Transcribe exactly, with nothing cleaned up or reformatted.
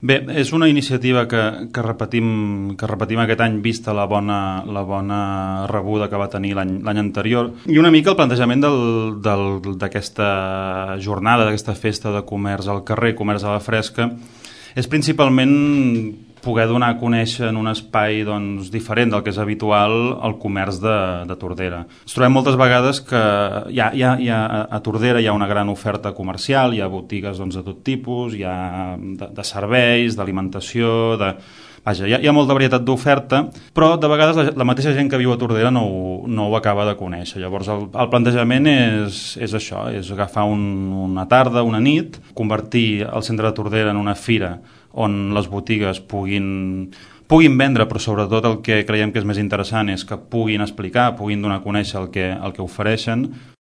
Bé, és una iniciativa que, que, repetim, que repetim aquest any vista la bona, la bona rebuda que va tenir l'any l'any anterior. I una mica el plantejament d'aquesta jornada, d'aquesta festa de comerç al carrer, comerç a la fresca, és principalment poder donar a conèixer en un espai doncs, diferent del que és habitual el comerç de, de Tordera. Ens trobem moltes vegades que hi ha, hi ha, hi ha, a Tordera hi ha una gran oferta comercial, hi ha botigues doncs, de tot tipus, hi ha de, de serveis, d'alimentació, de... Vaja, hi ha, hi ha molta varietat d'oferta, però de vegades la, la mateixa gent que viu a Tordera no ho, no ho acaba de conèixer. Llavors el, el plantejament és, és això, és agafar un, una tarda, una nit, convertir el centre de Tordera en una fira on les botigues puguin, puguin vendre, però sobretot el que creiem que és més interessant és que puguin explicar, puguin donar a conèixer el que, el que ofereixen.